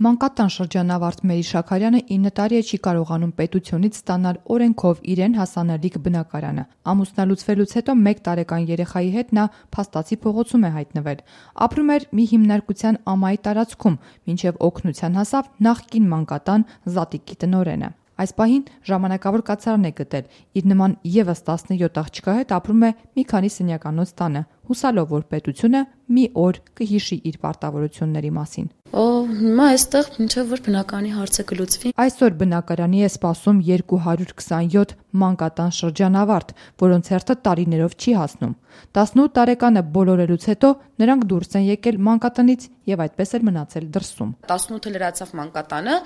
Մանկատան շրջանավարտ Մերի Շաքարյանը 9 տարի է չի կարողանում պետությունից ստանալ օրենքով իրեն հասանելիք բնակարանը։ Ամուսնալուծվելուց հետո 1 տարեկան երեխայի հետ նա Փաստացի փողոցում է հայտնվել։ Ապրում էր մի հիմնարկության ամայի տարածքում, մինչև օգնության հասավ նախկին մանկատան Զատիկի տնօրենը։ Այս պահին ժամանակավոր կացարան է գտել, իր նման եւս 17 աղջկա հետ ապրում է մի քանի սենյականոց տանը, հուսալով, որ պետությունը մի օր կհիշի իր պարտավորությունների մասին։ Հիմա այստեղ մինչև որ բնակարանի հարցը կլուծվի։ Այսօր բնակարանի է սպասում 227 մանկատան շրջանավարտ, որոնց հերթը տարիներով չի հասնում։ 18 տարեկանը բոլորելուց հետո նրանք դուրս են եկել մանկատնից եւ այդպես էլ մնացել դրսում։ 18-ը լրացավ մանկատանը,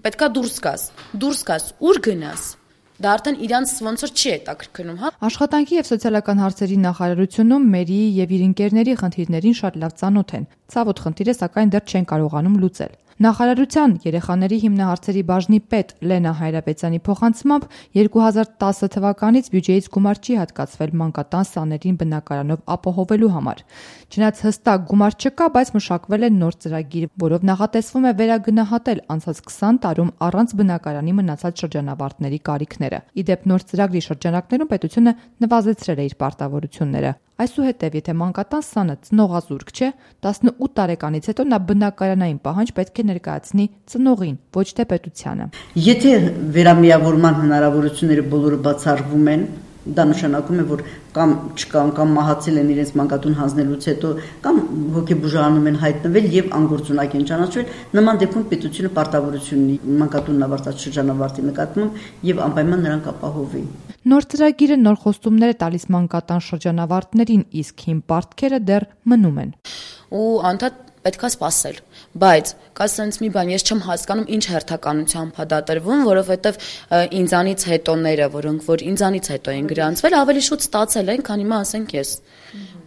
պետքա դուրս գաս, ուր գնաս։ Դա արդեն իրանց ոնց որ չի հետաքրքրում, հա։ Աշխատանքի եւ սոցիալական հարցերի նախարարությունում Մերիի եւ իր ընկերների խնդիրներին շատ լավ ծանոթ են։ Ցավոտ խնդիրը սակայն դեռ չեն կարողանում լուծել։ Նախարարության երեխաների հիմնահարցերի բաժնի պետ Լենա Հայրապետյանի փոխանցմամբ 2010 թվականից բյուջեից գումար չի հատկացվել մանկատան սաներին բնակարանով ապահովելու համար։ Չնայած հստակ գումար չկա, բայց մշակվել է նոր ծրագիր, որով նախատեսվում է վերագնահատել անցած 20 տարում առանց բնակարանի մնացած շրջանավարտների կարիքները։ Ի դեպ, նոր ծրագրի շրջանակներում պետությունը նվազեցրել է իր պարտավորությունները։ Այսուհետև, եթե մանկատան սանը ծնողազուրկ չէ, 18 տարեկանից հետո նա բնակարանային պահանջ պետք է ներկայացնի ծնողին, ոչ թե պետությանը։ Եթե վերամիավորման հնարավորությունները բոլորը բացառվում են, դա նշանակում է, որ կամ չկան, կամ մահացել են իրենց մանկատուն հանձնելուց հետո, կամ հոգեբուժարանում են հայտնվել եւ անգործունակ են ճանաչվել, նման դեպքում պետությունը պարտավորություն ունի մանկատունն ավարտած շրջանավարտի նկատմամբ եւ անպայման նրանք ապահովի։ Նոր ծրագիրը նոր խոստումներ է տալիս մանկատան շրջանավարտներին, իսկ հիմ պարտքերը դեռ մնում են։ Ու անդադ պետքա սպասել, բայց կա սենց մի բան, ես չեմ հասկանում ինչ հերթականությամբ է դա տրվում, որովհետև ինձանից հետոները, որոնք որ ինձանից հետո են գրանցվել, ավելի շուտ ստացել են, քան հիմա ասենք ես։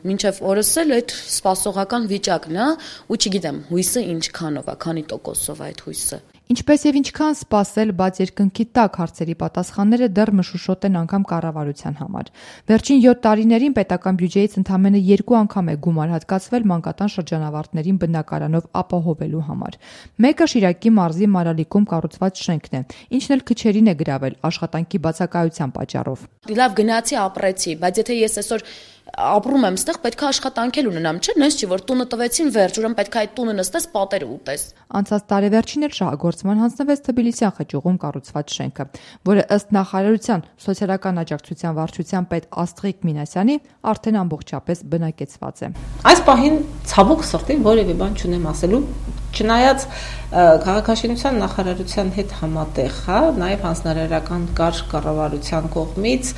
Մինչև օրս էլ այդ սպասողական վիճակն է, ու չգիտեմ, հույսը ինչքանով է, քանի տոկոսով է այդ հույսը։ Ինչպես եւ ինչքան սпасել, բայց երկնքի տակ հարցերի պատասխանները դեռ մշուշոտ են անգամ կառավարության համար։ Վերջին 7 տարիներին պետական բյուջեից ընդամենը 2 անգամ է գումար հատկացվել մանկատան շրջանավարտներին բնակարանով ապահովելու համար։ Մեկը Շիրակի մարզի Մարալիկում կառուցված շենքն է, ինչն էլ քչերին է գրավել աշխատանքի բացակայության պատճառով։ Լավ գնացի ապրեցի, բայց եթե ես այսօր ապրում եմ ստեղ, պետք է աշխատանքել ունենամ, չէ՞, նես չի որ տունը տվեցին վերջ, ուրեմն պետք է այդ տունը նստես, պատերը ուտես։ Անցած տարեվերջին էլ շահագործման հանձնվեց Թբիլիսյան խճուղում կառուցված շենքը, որը ըստ նախարարության սոցիալական աջակցության վարչության պետ Աստղիկ Մինասյանի արդեն ամբողջապես բնակեցված է։ Այս պահին ցավոք սրտի որևէ բան չունեմ ասելու, չնայած քաղաքաշինության նախարարության հետ համատեղ, հա, նաև հանձնարարական կարգ կառավարության կողմից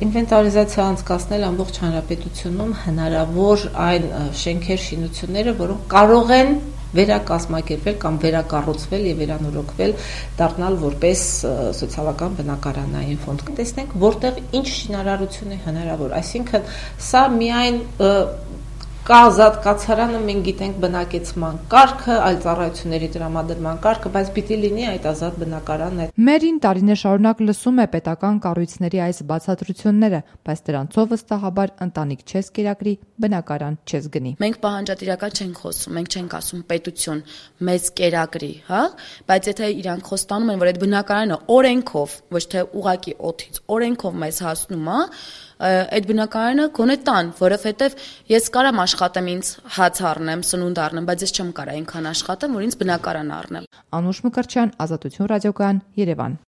ինվենտարիզացիա անցկացնել ամբողջ հանրապետությունում հնարավոր այն շենքեր, շինությունները, որոնք կարող են վերակազմակերպվել կամ վերակառուցվել եւ վերանորոգվել, դառնալ որպես սոցիալական բնակարանային ֆոնդ։ Տեսնենք, որտեղ ինչ շինարարություն է հնարավոր, այսինքն սա միայն կա ազատ կացարանը, մենք գիտենք բնակեցման կարգը, այլ ծառայությունների տրամադրման կարգը, բայց պիտի լինի այդ ազատ բնակարանն։ Մերին տարիներ շարունակ լսում է պետական կառույցների այս բացատրությունները, բայց դրանցով վստահաբար ընտանիք չես կերակրի, բնակարան չես գնի։ Մենք պահանջատիրական չենք խոսում, մենք չենք ասում պետություն մեզ կերակրի, հա, բայց եթե իրանք խոստանում են, որ այդ բնակարանը օրենքով, ոչ թե ուղակի օդից, օրենքով մեզ հասնում է, այդ բնակարանը գոնե տան, որովհետև ես կարամ աշխատեմ ինձ հաց առնեմ, սնունդ առնեմ, բայց ես չեմ կարող այնքան աշխատեմ, որ ինձ բնակարան առնեմ։ Անուշ Մկրտչյան, Ազատություն ռադիոկայան, Երևան։